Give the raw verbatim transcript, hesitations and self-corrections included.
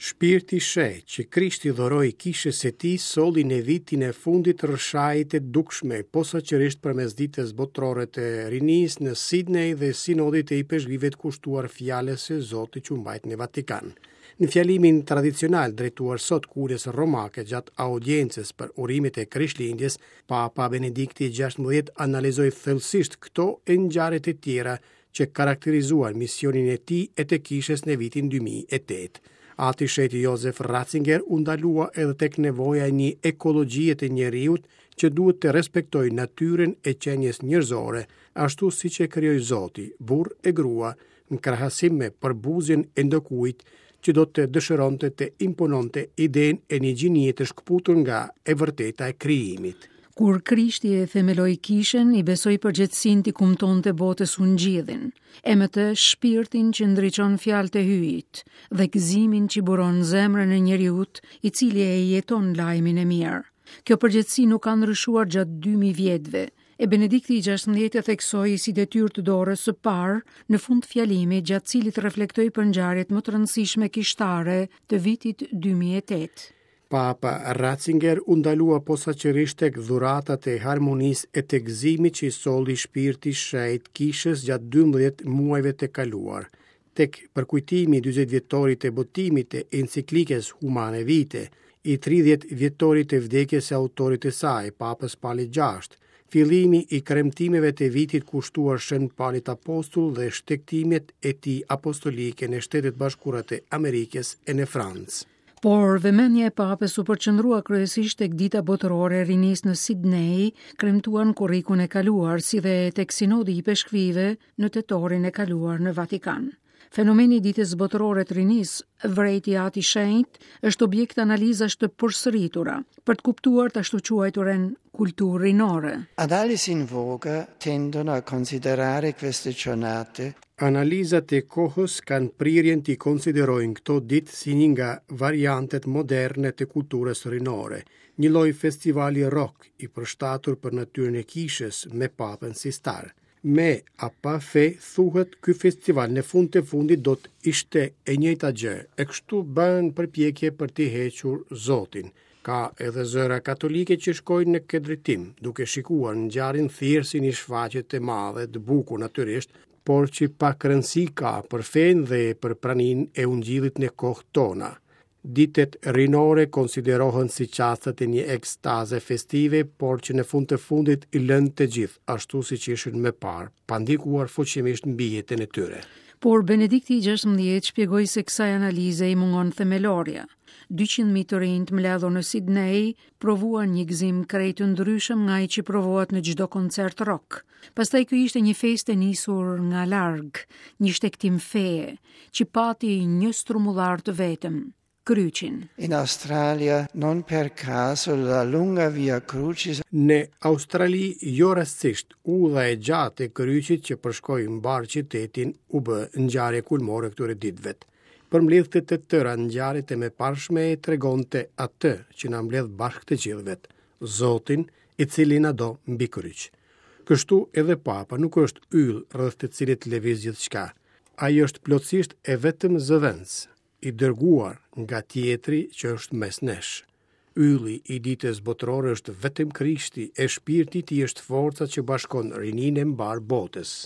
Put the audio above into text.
Shpirti i Shenjtë që Krishti dhuroi kishës së tij solli në vitin e fundit rrëshajë të dukshme, posaçërisht përmes Ditës Botërore të Rinisë në Sidney dhe Sinodit të Ipeshkvijve kushtuar fjalës së Zotit që u mbajt në Vatikan. Në fjalimin tradicional drejtuar sot Kuries Romake gjatë audiencës për urimet e Krishtlindjes, Papa Benedikti gjashtëmbëdhjetë analizoi thellësisht këto e ngjarjet e tjera që karakterizuan misionin e tij e të kishës në vitin dy mijë e tetë. Ati Shenjti Josef Ratzinger u ndalua edhe tek nevoja e një ekologjie të njeriut që duhet të respektojë natyrën e qenies njerëzore, ashtu siç e krijoi Zoti, burr e grua, në krahasim me përbuzjen e ndokujt që do të dëshironte të impononte idenë e një gjinie të shkëputur nga e vërteta e krijimit. Kur Krishti e themeloi kishën, i besoi përgjegjësinë t'i kumtonte botës ungjillin, e me të shpirtin që ndriçon fjalët e Hyjit dhe gëzimin që buron zemrën e njeriut, i cili e jeton lajmin e mirë. Kjo përgjegjësi nuk ka ndryshuar gjatë dy mijë vjetëve, e Benedikti i gjashtëmbëdhjetë e theksoi si detyrë të dorës së parë në fund fjalimit, gjatë cilit reflektoi për ngjarjet më të rëndësishme kishtare të vitit dy mijë e tetë. Papa Ratzinger u ndalua posaçërisht tek dhuratat e harmonisë e të gëzimit që i solli shpirti i shenjtë kishës gjatë dymbëdhjetë muajve të kaluar, tek përkujtimi i dyzet vjetorit të botimit të enciklikës Humane Vitae, i tridhjetë vjetorit të vdekjes së autorit të saj, Papës Palit gjashtë, fillimi i kremtimeve të vitit kushtuar Shën Palit Apostull dhe shtegtimet e tij apostolike në Shtetet Bashkuara të Amerikës e në Francë. Por vëmendja e papës u përqendrua kryesisht tek Dita Botërore e Rinisë në Sidney, kremtuar në korrikun e kaluar, si dhe tek Sinodi i Peshkvive në tetorin e kaluar në Vatikan. Fenomeni i Ditës Botërore të Rinisë, vrejti Ati Shenjt, është objekt analizash të përsëritura për të kuptuar të ashtuquajturën kulturë rinore. Analisi in voga tendono a considerare queste giornate. Analizat e kohës kanë prirjen t'i konsiderojnë këto ditë si një nga variantet moderne të kulturës rinore, një lloj festivali rock i përshtatur për natyrën e kishës me papën si star. Me a pa fe, thuhet, ky festival në fund të fundit do të ishte e njëjta gjë, e kështu bën përpjekje për t'i hequr Zotin. Ka edhe zëra katolike që shkojnë në këtë drejtim, duke shikuar ngjarjen thjesht si një shfaqje të madhe, të bukur natyrisht, por që pak rëndësi ka për fenë dhe për praninë e ungjillit në kohë tona. Ditët rinore konsiderohen si çastet e një ekstaze festive, por që në fund të fundit i lënë të gjithë, ashtu siç ishin më parë, pa ndikuar fuqimisht mbi jetën e tyre. Por Benedikti i gjashtëmbëdhjetë shpjegoi se kësaj analize i mungon themelorja. dyqind mijë të rinj të mbledhur në Sidney provuan një gëzim krejt të ndryshëm nga ai që provohet në çdo koncert rock. Pastaj ky ishte një festë e nisur nga larg, një shtegtim feje, që pati një strumullar të vetëm, kryqin. In Australia non per caso la lunga via Crucis. Në Australi jo rastësisht udha e gjatë e kryqit që përshkoi mbar qytetin u bë ngjarje kulmore këtyre ditëve. Përmbledhte të tëra ngjarjet e mëparshme e tregonte atë që na mbledh bashkë të gjithëve, Zotin, i cili na do mbi kryq. Kështu edhe Papa nuk është yll rreth të cilit lëviz gjithçka. Ai është plotësisht e vetëm zëvendës, i dërguar nga tjetri që është mes nesh. Ylli i ditës botërore është vetëm Krishti, e shpirti i tij është forca që bashkon rininë e mbar botës.